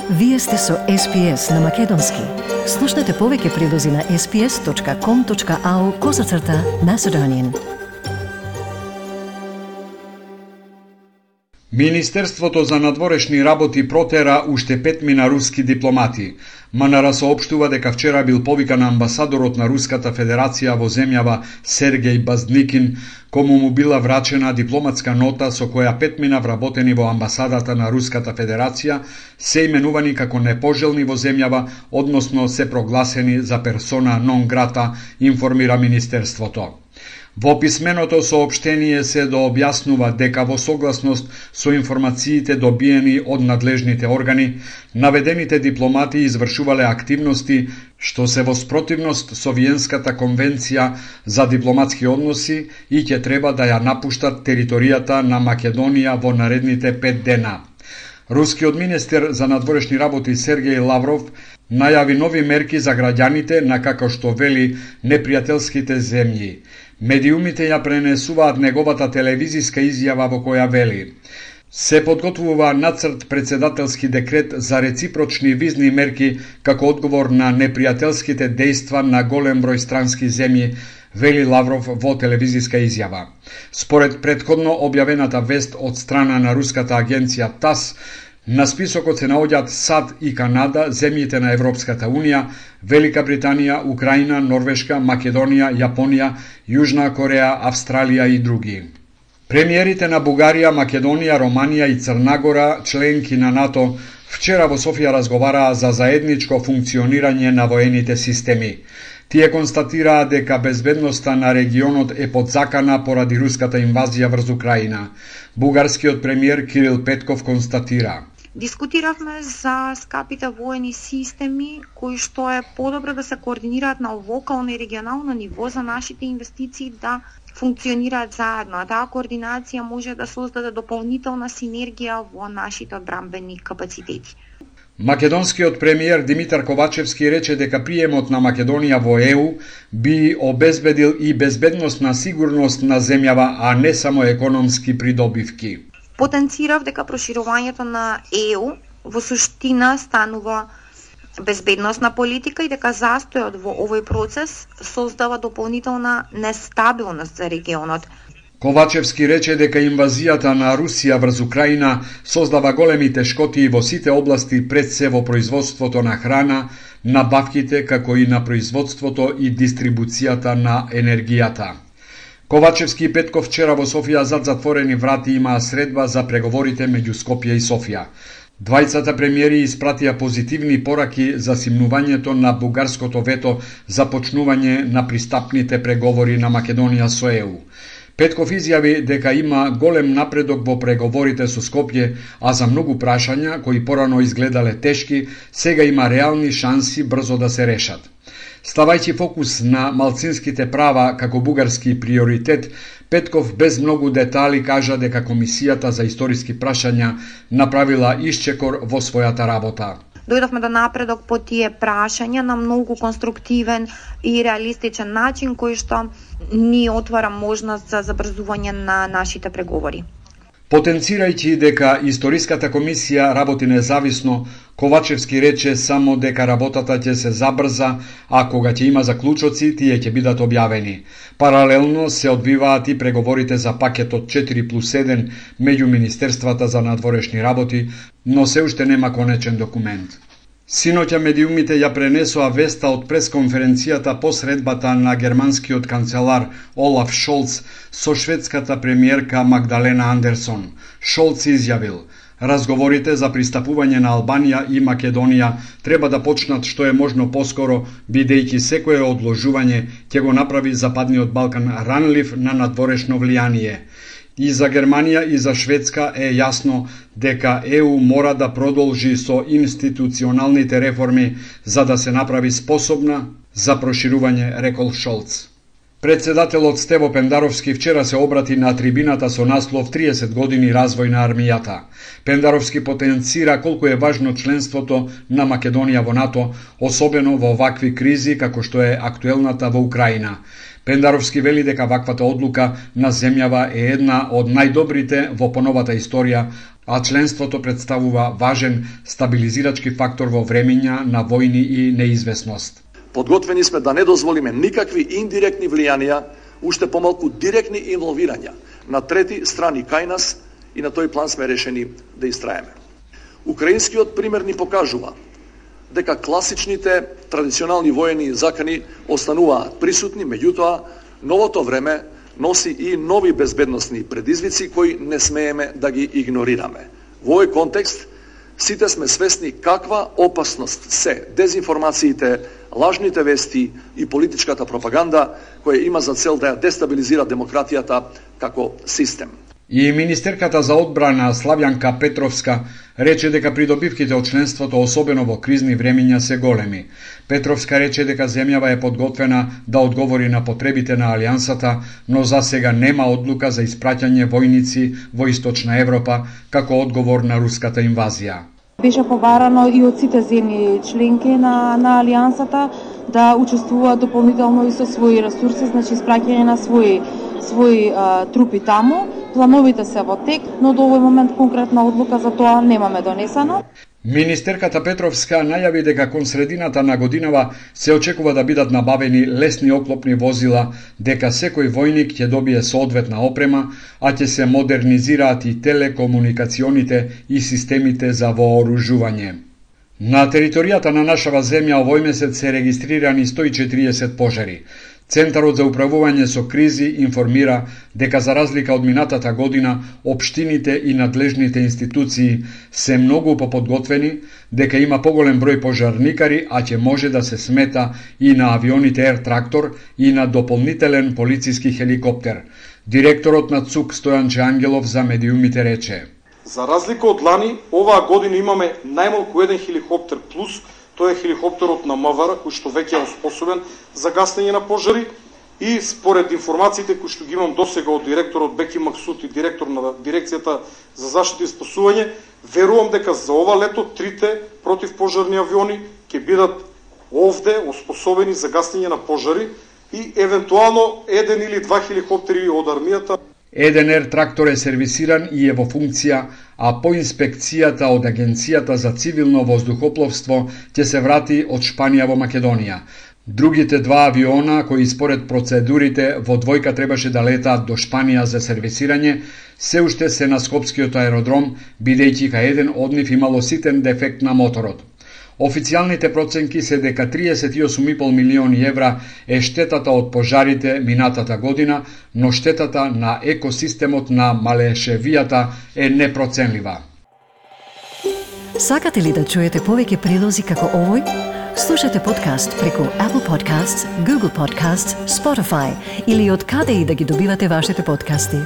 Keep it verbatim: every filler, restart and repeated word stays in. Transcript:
Вие сте со Ес Пи Ес на Македонски. Слушнете повеќе прилози на ес пи ес точка ком точка ау козацрта Macedonian. Министерството за надворешни работи протера уште петмина руски дипломати. МНР соопштува дека вчера бил повикан амбасадорот на Руската Федерација во земјава Сергеј Баздникин, кому му била врачена дипломатска нота со која петмина вработени во амбасадата на Руската Федерација се именувани како непожелни во земјава, односно се прогласени за персона нон грата, информира Министерството. Во писменото соопштение се дообјаснува дека во согласност со информациите добиени од надлежните органи, наведените дипломати извршувале активности што се во спротивност со Виенската конвенција за дипломатски односи и ќе треба да ја напуштат територијата на Македонија во наредните пет дена. Рускиот министер за надворешни работи Сергеј Лавров најави нови мерки за граѓаните на, како што вели, непријателските земји. Медиумите ја пренесуваат неговата телевизиска изјава во која вели: се подготвува нацрт председателски декрет за реципрочни визни мерки како одговор на непријателските дејства на голем број странски земји, вели Лавров во телевизиска изјава. Според претходно објавената вест од страна на руската агенција ТАСС, на списокот се наоѓаат САД и Канада, земјите на Европската Унија, Велика Британија, Украина, Норвешка, Македонија, Јапонија, Јужна Кореја, Австралија и други. Премиерите на Бугарија, Македонија, Романија и Црна членки на НАТО, вчера во Софија разговараа за заедничко функционирање на воените системи. Тие констатираа дека безбедноста на регионот е под закана поради руската инвазија врз Украина. Бугарскиот премиер Кирил Петков констатира: дискутиравме за скапите воени системи, кои што е подобро да се координираат на локално и регионално ниво за нашите инвестиции да функционираат заедно. А таа координација може да создаде дополнителна синергија во нашите одбранбени капацитети. Македонскиот премиер Димитар Ковачевски рече дека приемот на Македонија во Е У би обезбедил и безбедносна сигурност на земјава, а не само економски придобивки. Потенцирав дека проширувањето на Е У во суштина станува безбедносна политика и дека застојот во овој процес создава дополнителна нестабилност за регионот. Ковачевски рече дека инвазијата на Русија врз Украина создава големи тешкоти во сите области, пред се во производството на храна, набавките, како и на производството и дистрибуцијата на енергијата. Ковачевски и Петков вчера во Софија зад затворени врати имаа средба за преговорите меѓу Скопје и Софија. Двајцата премиери испратија позитивни пораки за симнувањето на бугарското вето за почнување на пристапните преговори на Македонија со Е У. Петков изјави дека има голем напредок во преговорите со Скопје, а за многу прашања кои порано изгледале тешки, сега има реални шанси брзо да се решат. Ставајќи фокус на малцинските права како бугарски приоритет, Петков без многу детали кажа дека Комисијата за историски прашања направила исчекор во својата работа. Дојдовме до напредок по тие прашања на многу конструктивен и реалистичен начин, кој што ни отвара можност за забрзување на нашите преговори. Потенцирајќи дека Историската комисија работи независно, Ковачевски рече само дека работата ќе се забрза, а кога ќе има заклучоци, тие ќе бидат објавени. Паралелно се одвиваат и преговорите за пакетот четири плюс еден меѓу Министерствата за надворешни работи, но се уште нема конечен документ. Синоќа медиумите ја пренесоа веста од пресконференцијата по средбата на германскиот канцелар Олаф Шолц со шведската премиерка Магдалена Андерсон. Шолц изјавил: разговорите за пристапување на Албанија и Македонија треба да почнат што е можно поскоро, бидејќи секое одложување ќе го направи Западниот Балкан ранлив на надворешно влијание. И за Германија и за Шведска е јасно дека Е У мора да продолжи со институционалните реформи за да се направи способна за проширување, рекол Шолц. Председателот Стево Пендаровски вчера се обрати на трибината со наслов триесет години развој на армијата. Пендаровски потенцира колку е важно членството на Македонија во НАТО, особено во вакви кризи како што е актуелната во Украина. Пендаровски вели дека ваквата одлука на земјава е една од најдобрите во поновата историја, а членството представува важен стабилизирачки фактор во времења на војни и неизвестност. Подготвени сме да не дозволиме никакви индиректни влијанија, уште помалку директни инволвирања на трети страни кај нас и на тој план сме решени да истраеме. Украинскиот пример ни покажува дека класичните традиционални воени закани остануваат присутни, меѓутоа новото време носи и нови безбедносни предизвици кои не смееме да ги игнорираме. Во овој контекст сите сме свесни каква опасност се дезинформациите, лажните вести и политичката пропаганда која има за цел да ја дестабилизира демократијата како систем. И министерката за одбрана Славјанка Петровска рече дека придобивките од членството, особено во кризни времења, се големи. Петровска рече дека земјава е подготвена да одговори на потребите на Алијансата, но за сега нема одлука за испраќање војници во Источна Европа како одговор на руската инвазија. Беше побарано и од сите земји членки на, на Алијансата да учествуваат дополнително и со своји ресурси, значи испраќање на своји своји а, трупи таму. Плановите се во тек, но до овој момент конкретна одлука за тоа немаме донесено. Министерката Петровска најави дека кон средината на годинава се очекува да бидат набавени лесни оклопни возила, дека секој војник ќе добие соодветна опрема, а ќе се модернизираат и телекомуникационите и системите за вооружување. На територијата на нашава земја овој месец се регистрирани сто и четириесет пожари. Центарот за управување со кризи информира дека за разлика од минатата година, општините и надлежните институции се многу поподготвени, дека има поголем број пожарникари, а ќе може да се смета и на авионите Ер Трактор и на дополнителен полициски хеликоптер. Директорот на ЦУК Стојанче Ангелов за медиумите рече: За разлика од лани, оваа година имаме најмалку еден хеликоптер плюс. Тој е хеликоптерот на МВР, кој што веќе е способен за гаснење на пожари, и според информациите кои што ги имам досега од директорот Беки Максут и директор на дирекцијата за заштита и спасување, верувам дека за ова лето трите противпожарни авиони ќе бидат овде оспособени за гаснење на пожари и евентуално еден или два хеликоптери од армијата. Еден Ер Трактор е сервисиран и е во функција, а по инспекцијата од Агенцијата за цивилно воздухопловство ќе се врати од Шпанија во Македонија. Другите два авиона, кои според процедурите во двојка требаше да летаат до Шпанија за сервисирање, се уште се на Скопскиот аеродром, бидејќи кај еден од нив имало ситен дефект на моторот. Официјалните проценки се дека триесет и осум и пол милиони евра е штетата од пожарите минатата година, но штетата на екосистемот на Малешевијата е непроценлива. Сакате ли да чуете повеќе прилози како овој? Слушате подкаст преку Apple Podcasts, Google Podcasts, Spotify или од каде и да ги добивате вашите подкасти.